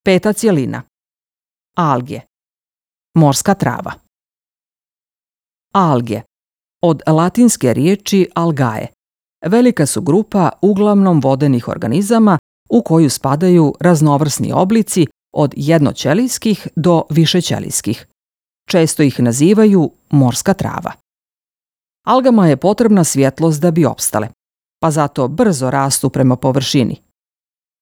Peta cjelina. Alge. Morska trava. Alge. Od latinske riječi algae. Velika su grupa uglavnom vodenih organizama u koju spadaju raznovrsni oblici od jednoćelijskih do višećelijskih. Često ih nazivaju morska trava. Algama je potrebna svjetlost da bi opstale, pa zato brzo rastu prema površini.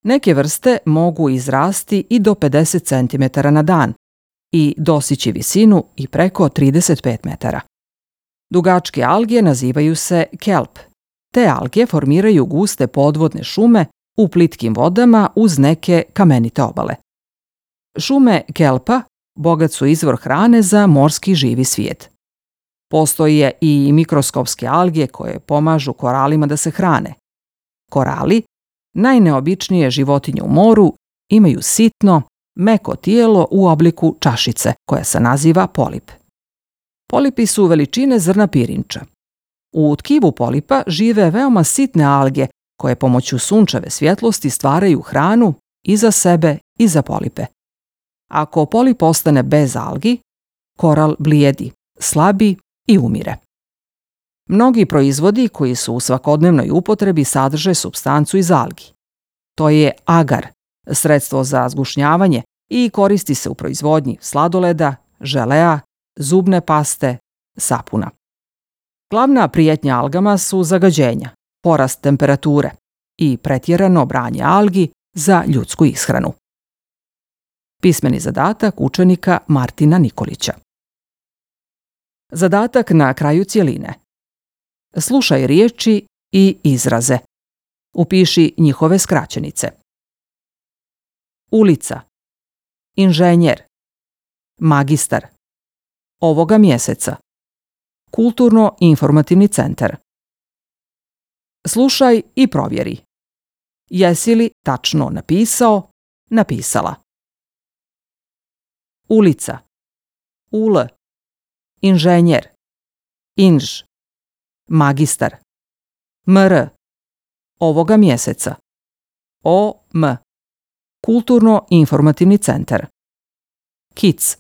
Neke vrste mogu izrasti i do 50 cm na dan i dostići visinu i preko 35 metara. Dugačke alge nazivaju se kelp. Te alge formiraju guste podvodne šume u plitkim vodama uz neke kamenite obale. Šume kelpa bogat su izvor hrane za morski živi svijet. Postoje i mikroskopske alge koje pomažu koralima da se hrane. Korali, najneobičnije životinje u moru, imaju sitno, meko tijelo u obliku čašice koja se naziva polip. Polipi su veličine zrna pirinča. U tkivu polipa žive veoma sitne alge koje pomoću sunčeve svjetlosti stvaraju hranu i za sebe i za polipe. Ako polip ostane bez algi, koral blijedi, slabi i umire. Mnogi proizvodi koji su u svakodnevnoj upotrebi sadrže supstancu iz algi. To je agar, sredstvo za zgušnjavanje i koristi se u proizvodnji sladoleda, želea, zubne paste, sapuna. Glavna prijetnja algama su zagađenja, porast temperature i pretjerano branje algi za ljudsku ishranu. Pismeni zadatak učenika Martina Nikolića. Zadatak na kraju cjeline. Slušaj riječi i izraze. Upiši njihove skraćenice. Ulica. Inženjer. Magistar. Ovoga mjeseca. Kulturno-informativni centar. Slušaj i provjeri. Jesi li tačno napisao, napisala? Ulica. Ul. Inženjer. Inž. Magistar. Mr. Ovoga mjeseca. OM. Kulturno-informativni centar. Kic.